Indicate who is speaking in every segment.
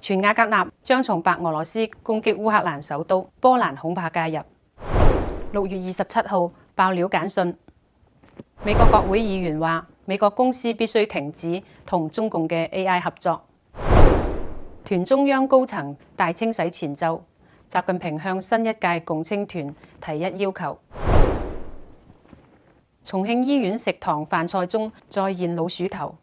Speaker 1: 傳瓦格納將從白俄羅斯攻擊烏克蘭首都，波蘭恐怕介入。6月27號爆料簡訊，美國國會議員話美國公司必須停止同中共嘅 AI 合作。團中央高層大清洗前奏，習近平向新一屆共青團提一要求。重慶醫院食堂飯菜中再現老鼠頭。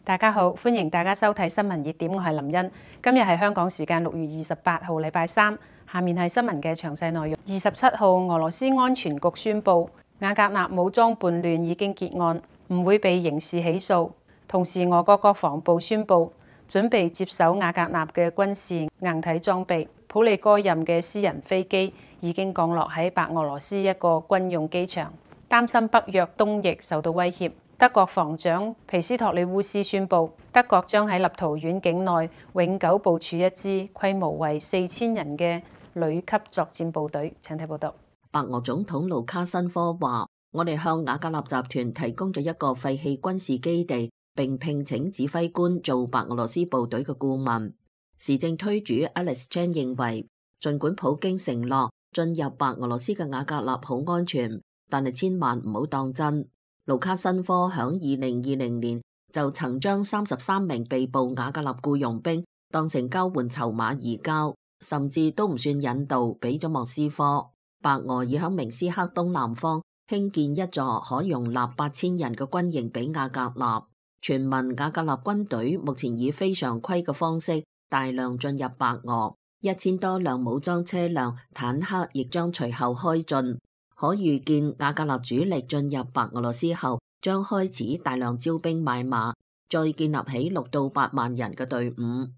Speaker 1: 大家好，歡迎大家收睇新聞熱點，我係林茵。今日係香港時間6月28號禮拜三，下面係新聞嘅詳細內容。27號，俄羅斯安全局宣布，瓦格納武裝叛亂已經結案，唔會被刑事起訴。同時，俄國國防部宣布，準備接手瓦格納嘅軍事硬體裝備。普利戈任嘅私人飛機已經降落喺白俄羅斯一個軍用機場，擔心北約東翼受到威脅。德國防長皮斯托里烏斯宣布，德國將喺立陶宛境內永久部署一支規模為4000人嘅旅級作戰部隊。請睇報道。
Speaker 2: 白俄總統盧卡申科話：我哋向瓦格納集團提供咗一個廢棄軍事基地，並聘請指揮官做白俄羅斯部隊嘅顧問。時政推主 Alex Chan 認為，儘管普京承諾進入白俄羅斯嘅瓦格納好安全，但係千萬唔好當真。盧卡申科響2020年就曾將33名被捕瓦格納僱傭兵當成交換籌碼移交，甚至都唔算引渡，俾咗莫斯科。白俄已響明斯克東南方興建一座可容納8000人嘅軍營俾瓦格納。傳聞瓦格納軍隊目前以非常規嘅方式大量進入白俄，1000多輛武裝車輛、坦克亦將隨後開進。可預見瓦格納主力進入白俄羅斯後，將開始大量招兵買馬，再建立起6到8萬人嘅隊伍。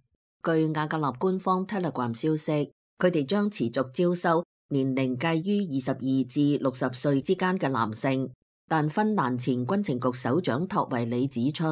Speaker 2: 據瓦格納官方 Telegram 消息，佢哋將持續招收年齡介於22至60歲之間嘅男性。但芬蘭前軍情局首長托維里指出，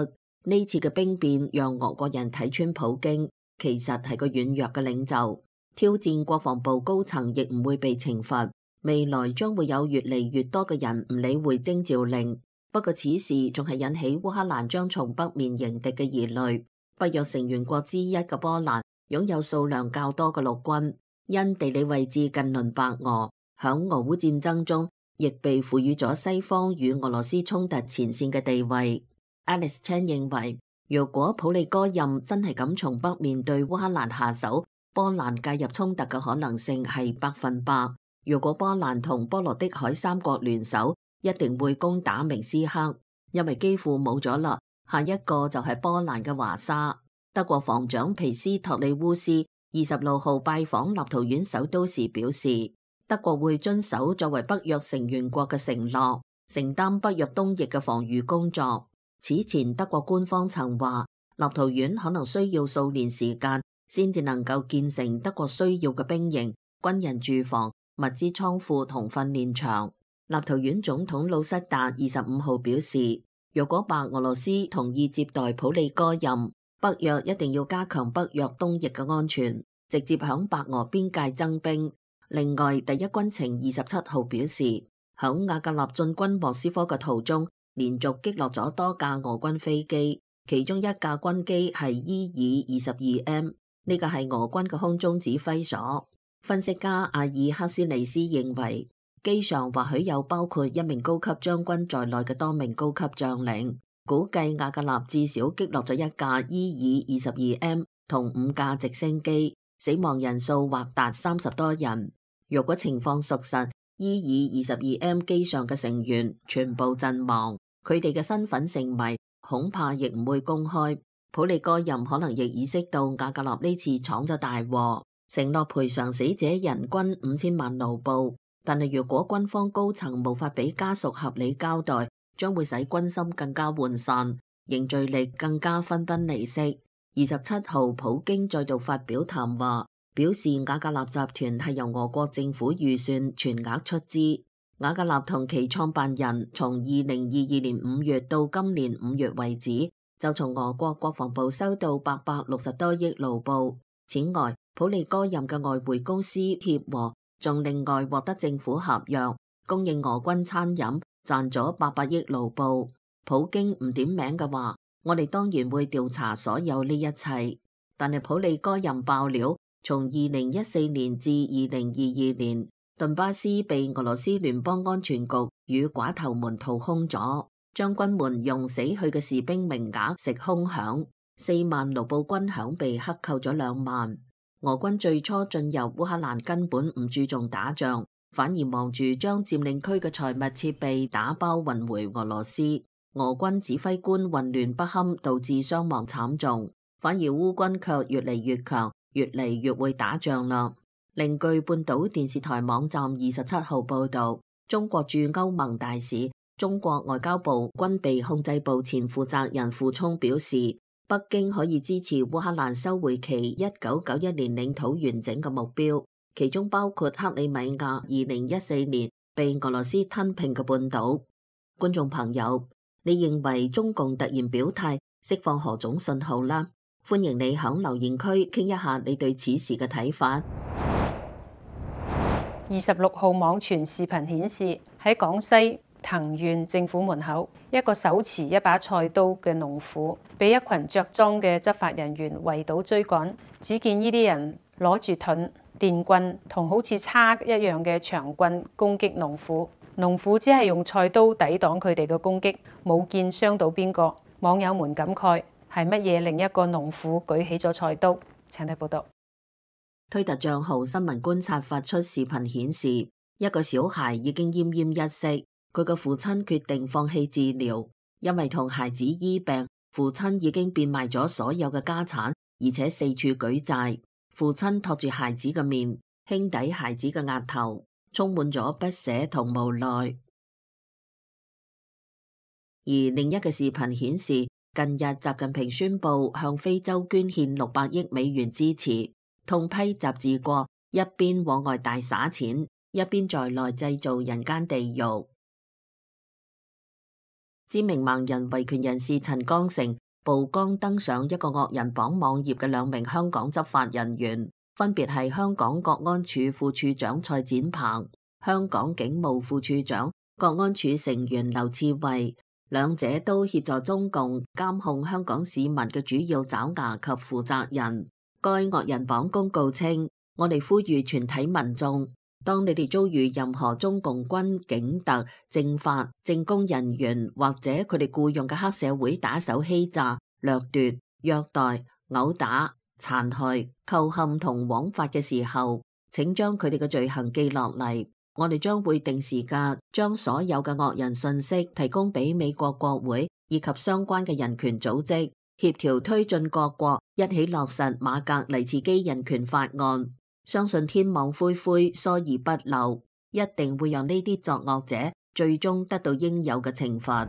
Speaker 2: 呢次嘅兵變讓俄國人睇穿普京其實係個軟弱嘅領袖，挑戰國防部高層亦唔會被懲罰。未來將會有越嚟越多嘅人唔理會徵召令，不過此事仲係引起烏克蘭將從北面迎敵嘅疑慮。北約成員國之一嘅波蘭擁有數量較多嘅陸軍，因地理位置近鄰白俄，響俄烏戰爭中亦被賦予咗西方與俄羅斯衝突前線嘅地位。Alex Chan 認為，如果普利戈任真係咁從北面對烏克蘭下手，波蘭介入衝突嘅可能性係100%。如果波蘭同波羅的海三國聯手，一定會攻打明斯克，因為幾乎冇咗啦。下一個就係波蘭嘅華沙。德國防長皮斯托里烏斯26號拜訪立陶宛首都時表示，德國會遵守作為北約成員國嘅承諾，承擔北約東翼嘅防禦工作。此前德國官方曾話，立陶宛可能需要數年時間先至能夠建成德國需要嘅兵營、軍人住房、物資倉庫同訓練場。立陶宛總統魯塞達25號表示，如果白俄羅斯同意接待普利戈任，北約一定要加強北約東翼嘅安全，直接響白俄邊界增兵。另外，第一軍情27號表示，響瓦格納進軍莫斯科嘅途中，連續擊落咗多架俄軍飛機，其中一架軍機係伊爾22M，呢個係俄軍嘅空中指揮所。分析家阿爾克斯尼斯認為，機上或許有包括一名高級將軍在內嘅多名高級將領，估計瓦格納至少擊落咗一架伊爾22M 同5架直升機，死亡人數或達30多人。如果情況屬實，伊爾22M 機上嘅成員全部陣亡，佢哋嘅身份成謎，恐怕亦唔會公開。普利戈任可能亦意識到瓦格納呢次闖咗大禍，承諾賠償死者人均5000萬盧布，但係如果軍方高層無法俾家屬合理交代，將會使軍心更加渙散，凝聚力更加分崩離析。27號，普京再度發表談話，表示瓦格納集團係由俄國政府預算全額出資。瓦格納同其創辦人從2022年5月到今年5月為止，就從俄國國防部收到860多億盧布。此外，普利戈任嘅外匯公司協和仲另外獲得政府合約，供應俄軍餐飲，賺咗800億盧布。普京唔點名嘅話，我哋當然會調查所有呢一切。但係普利戈任爆料，從2014年至2022年，頓巴斯被俄羅斯聯邦安全局與寡頭們掏空咗，將軍們用死去嘅士兵名額食空饷，4萬盧布軍饷被克扣咗2萬。俄軍最初進入烏克蘭根本唔注重打仗，反而忙住將佔領區嘅財物設備打包運回俄羅斯。俄軍指揮官混亂不堪，導致傷亡慘重。反而烏軍卻越嚟越強，越嚟越會打仗啦。另據半島電視台網站27號報道，中國駐歐盟大使、中國外交部軍備控制部前負責人傅聰表示，北京可以支持烏克蘭收回其1991年領土完整嘅目標，其中包括克里米亞2014年被俄羅斯吞併嘅半島。觀眾朋友，你認為中共突然表態釋放何種信號啦？歡迎你響留言區傾一下你對此事嘅睇法。
Speaker 1: 26號網傳視頻顯示，喺廣西藤縣政府門口，一個手持一把菜刀嘅農婦被一群着裝嘅執法人員圍堵追趕。只見呢啲人攞住盾、電棍同好似叉一樣嘅長棍攻擊農婦，農婦只係用菜刀抵擋佢哋嘅攻擊，冇見傷到邊個。網友們感慨，係乜嘢令一個農婦舉起咗菜刀？請睇報道。
Speaker 2: 推特賬號新聞觀察發出視頻顯示，一個小孩已經奄奄一息，佢嘅父親決定放棄治療，因為同孩子醫病，父親已經變賣咗所有嘅家產，而且四處舉債。父親托住孩子嘅面，輕抵孩子嘅額頭，充滿咗不捨同無奈。而另一個視頻顯示，近日習近平宣布向非洲捐獻600億美元支持，痛批習治國一邊往外大灑錢，一邊在內製造人間地獄。知名盲人維權人士陳剛成曝光登上一個惡人榜網頁嘅2名香港執法人員，分別係香港國安處副處長蔡展鵬、香港警務副處長、國安處成員劉賜蕙，兩者都協助中共監控香港市民嘅主要爪牙及負責人。該惡人榜公告稱，我哋呼籲全體民眾，當你哋遭遇任何中共軍、警特、政法、政工人員或者佢哋僱用嘅黑社會打手欺詐、掠奪、虐待、毆打、殘害、構陷同枉法嘅時候，請將佢哋嘅罪行記落嚟。我哋將會定時嘅將所有嘅惡人信息提供俾美國國會以及相關嘅人權組織，協調推進各國一起落實馬格尼茨基人權法案。相信天網恢恢，疏而不漏，一定會讓呢啲作惡者最終得到應有嘅懲罰。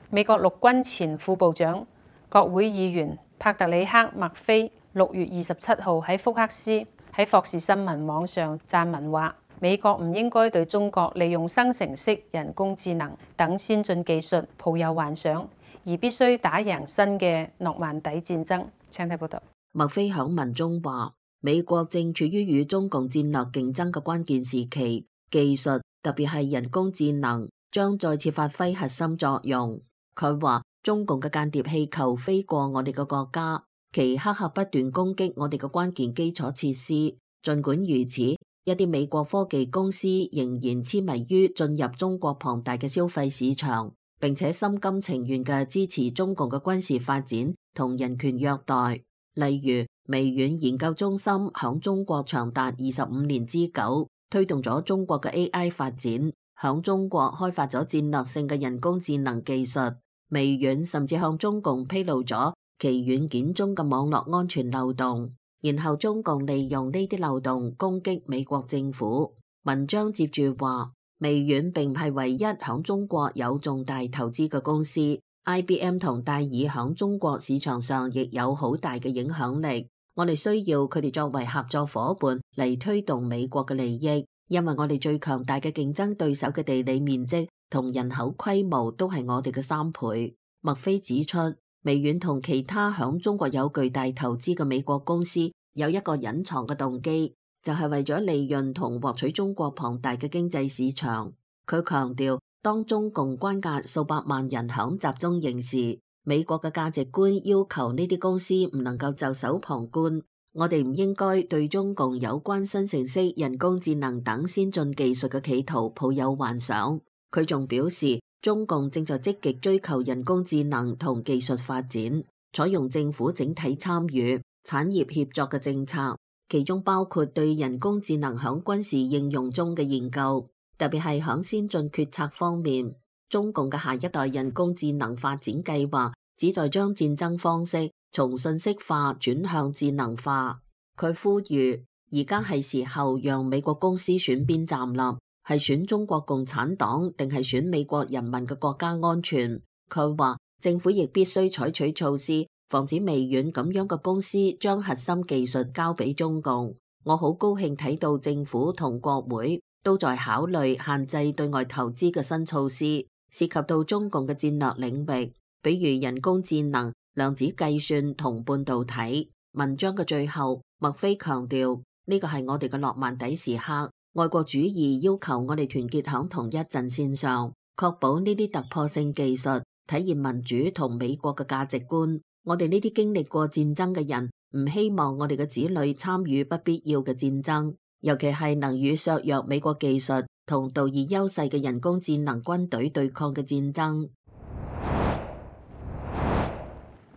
Speaker 1: 美國陸軍前副部長、國會議員帕特里克·麥菲6月27號喺福克斯喺霍士新聞網上撰文話，美國唔應該對中國利用生成式人工智能等先進技術抱有幻想，而必須打贏新嘅諾曼底戰爭。請睇報道。
Speaker 2: 麥菲響文中話，美國正處於與中共戰略競爭嘅關鍵時期，技術特別係人工智能將再次發揮核心作用。佢話，中共嘅間諜氣球飛過我哋嘅國家，其黑客不斷攻擊我哋嘅關鍵基礎設施。儘管如此，一啲美國科技公司仍然痴迷於進入中國龐大嘅消費市場，並且心甘情願嘅支持中共嘅軍事發展同人權虐待。例如，微軟研究中心響中國長達25年之久，推動咗中國嘅 AI 發展，響中國開發咗戰略性嘅人工智能技術。微軟甚至向中共披露咗其軟件中嘅網絡安全漏洞，然後中共利用呢啲漏洞攻擊美國政府。文章接住話，微軟並唔係唯一響中國有重大投資嘅公司。IBM 同戴爾響中國市場上亦有好大嘅影響力，我哋需要佢哋作為合作夥伴嚟推動美國嘅利益，因為我哋最強大嘅競爭對手嘅地理面積同人口規模都係我哋嘅3倍。麥菲指出，微軟同其他響中國有巨大投資嘅美國公司有一個隱藏嘅動機，就係為咗利潤同獲取中國龐大嘅經濟市場。佢強調，當中共關押數百萬人響集中營時，美國嘅價值觀要求呢啲公司唔能夠袖手旁觀，我哋唔應該對中共有關生成式人工智能等先進技術嘅企圖抱有幻想。佢仲表示，中共正在積極追求人工智能同技術發展，採用政府整體參與、產業協作嘅政策，其中包括對人工智能響軍事應用中嘅研究，特別係響先進決策方面。中共嘅下一代人工智能發展計劃旨在將戰爭方式從信息化轉向智能化。佢呼籲，而家係時候讓美國公司選邊站立，係選中國共產黨定係選美國人民嘅國家安全。佢話政府亦必須採取措施，防止微軟咁樣嘅公司將核心技術交俾中共。我好高興睇到政府同國會都在考慮限制對外投資嘅新措施，涉及到中共嘅戰略領域，比如人工智能、量子計算同半導體。文章嘅最後，麥菲強調呢個係我哋嘅諾曼底時刻，愛國主義要求我哋團結響同一陣線上，確保呢啲突破性技術體現民主同美國嘅價值觀。我哋呢啲經歷過戰爭嘅人唔希望我哋嘅子女參與不必要嘅戰爭，尤其係能與削弱美國技術同道義優勢嘅人工智能軍隊對抗嘅戰爭。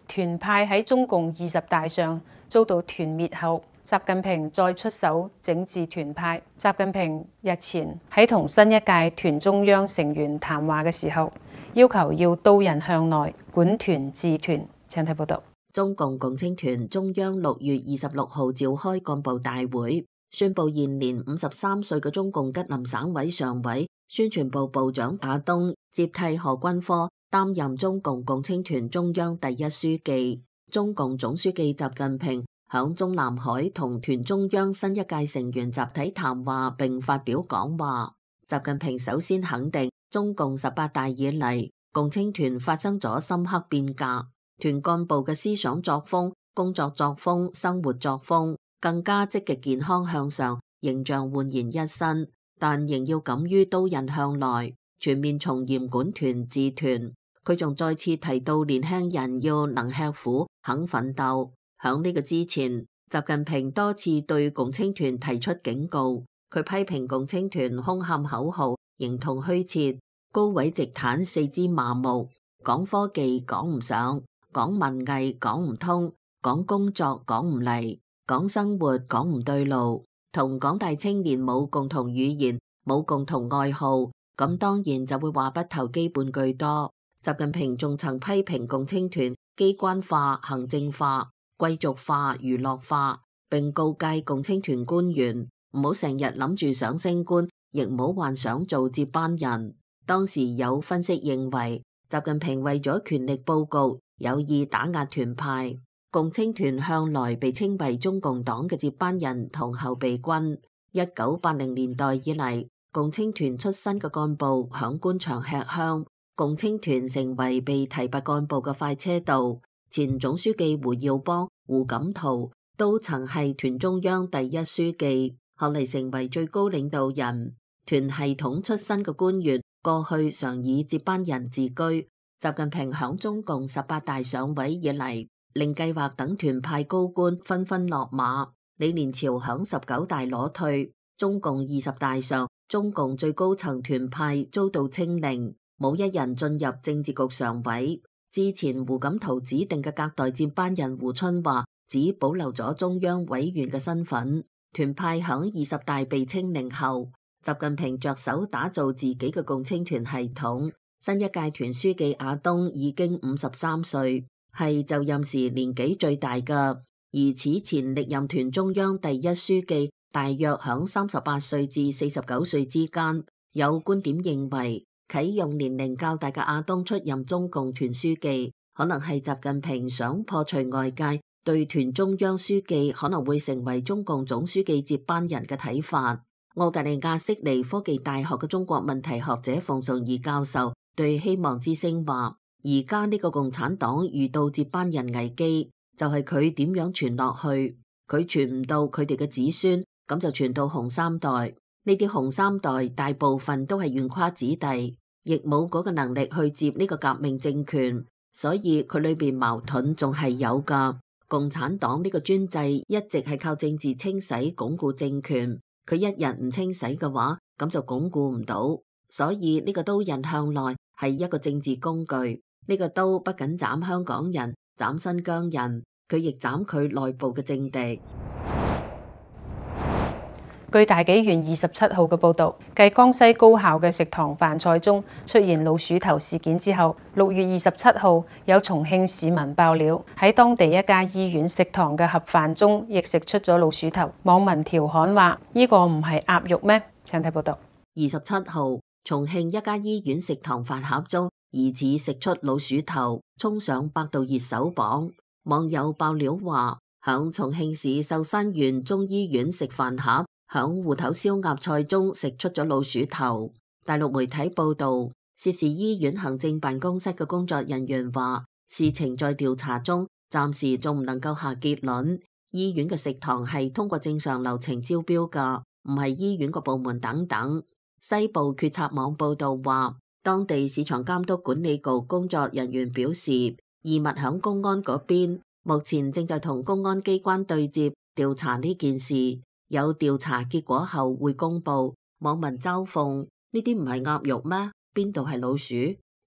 Speaker 1: 團派喺中共20大上遭到團滅後，習近平再出手整治團派。習近平日前喺同新一屆團中央成員談話嘅時候，要求要刀刃向內，管團治團。請睇報道。
Speaker 2: 中共共青團中央6月26號召開幹部大會，宣布現年53歲嘅中共吉林省委常委、宣傳部部長亞東接替何君科擔任中共共青團中央第一書記。中共總書記習近平響中南海同團中央新一屆成員集體談話並發表講話。習近平首先肯定中共18大以嚟，共青團發生咗深刻變革，團幹部嘅思想作風、工作作風、生活作風更加積極健康向上，形象煥然一新，但仍要敢於刀刃向內，全面從嚴管團治團。佢仲再次提到年輕人要能吃苦、肯奮鬥。響呢個之前，習近平多次對共青團提出警告，佢批評共青團空喊口號、形同虛設、高位直坦、四肢麻木，講科技講唔上，講文藝講唔通，講工作講唔嚟，講生活講唔對路，同廣大青年冇共同語言、冇共同愛好，咁當然就會話不投機半句多。習近平仲曾批評共青團機關化、行政化、貴族化、娛樂化，並告誡共青團官員唔好成日諗住想升官，亦唔好幻想做接班人。當時有分析認為，習近平為咗權力佈局，有意打壓團派。共青團向來被稱為中共黨嘅接班人同後備軍。1980年代以嚟，共青團出身嘅幹部響官場吃香，共青團成為被提拔幹部嘅快車道。前總書記胡耀邦、胡錦濤都曾係團中央第一書記，後嚟成為最高領導人。團系統出身嘅官員過去常以接班人自居。習近平響中共18大上位以嚟，令計劃等團派高官紛紛落馬。李連潮響19大裸退，中共20大上，中共最高層團派遭到清零，冇一人進入政治局常委。之前胡錦濤指定嘅隔代接班人胡春華只保留咗中央委員嘅身份。團派響20大被清零後，習近平着手打造自己嘅共青團系統。新一屆團書記亞東已經53歲，係就任時年紀最大嘅，而此前歷任團中央第一書記大約響38歲至49歲之間。有觀點認為，啟用年齡較大嘅亞東出任中共團書記，可能係習近平想破除外界對團中央書記可能會成為中共總書記接班人嘅睇法。澳大利亞悉尼科技大學嘅中國問題學者馮崇義教授對希望之聲話，而家呢個共產黨遇到接班人危機，就係佢點樣傳落去，佢傳唔到佢哋嘅子孫，咁就傳到紅三代。呢啲紅三代大部分都係紈絝子弟，亦冇嗰個能力去接呢個革命政權。所以佢裏邊矛盾仲係有㗎。共產黨呢個專制一直係靠政治清洗鞏固政權，佢一日唔清洗嘅話，咁就鞏固唔到。所以呢個刀刃向來係一個政治工具，呢個刀不僅斬香港人、斬新疆人，佢亦斬佢內部嘅政敵。
Speaker 1: 據大紀元27號嘅報導，繼江西高校嘅食堂飯菜中出現老鼠頭事件之後，6月27號有重慶市民爆料，喺當地一家醫院食堂嘅盒飯中亦食出咗老鼠頭。網民調侃話：呢個唔係鴨肉咩？請睇報導。
Speaker 2: 27號，重慶一家醫院食堂飯盒中疑似食出老鼠頭，衝上百度熱搜榜。網友爆料話，響重慶市壽山縣中醫院食飯盒，響芋頭燒鴨菜中食出咗老鼠頭。大陸媒體報道，涉事醫院行政辦公室嘅工作人員話，事情在調查中，暫時仲唔能夠下結論。醫院嘅食堂係通過正常流程招標噶，唔係醫院個部門等等。西部決策網報道話，當地市場監督管理局工作人員表示，異物響公安嗰邊，目前正在同公安機關對接調查呢件事，有調查結果後會公布。網民嘲諷：呢啲唔係鴨肉咩？邊度係老鼠？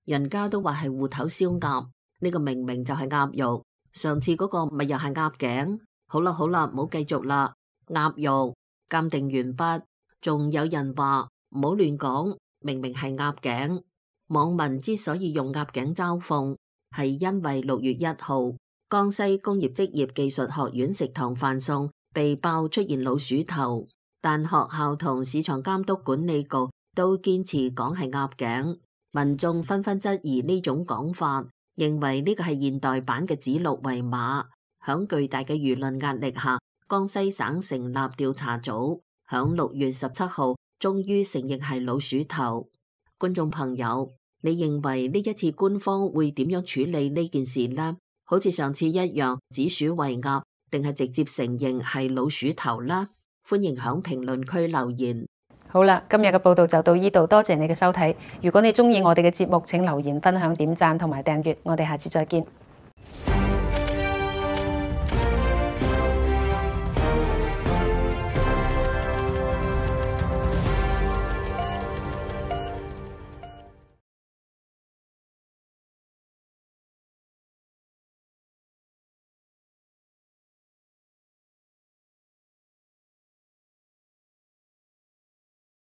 Speaker 2: 人家都話係芋頭燒鴨，呢個明明就係鴨肉。上次嗰個咪又係鴨頸。好啦，唔好繼續啦。鴨肉鑑定完畢，仲有人話唔好亂講，明明係鴨頸。網民之所以用鴨頸嘲諷，係因為6月1號，江西工業職業技術學院食堂飯餸被爆出現老鼠頭，但學校同市場監督管理局都堅持講係鴨頸，民眾紛紛質疑呢種講法，認為呢個係現代版嘅指鹿為馬。響巨大嘅輿論壓力下，江西省成立調查組，響6月17號終於承認係老鼠頭。觀眾朋友，你認為呢一次官方會點樣處理呢件事呢？好似上次一樣指鼠為鴨，定係直接承認係老鼠頭呢？歡迎響評論區留言。
Speaker 1: 好啦，今日嘅報道就到呢度，多謝你嘅收睇。如果你鍾意我哋嘅節目，請留言、分享、點讚同埋訂閱。我哋下次再見。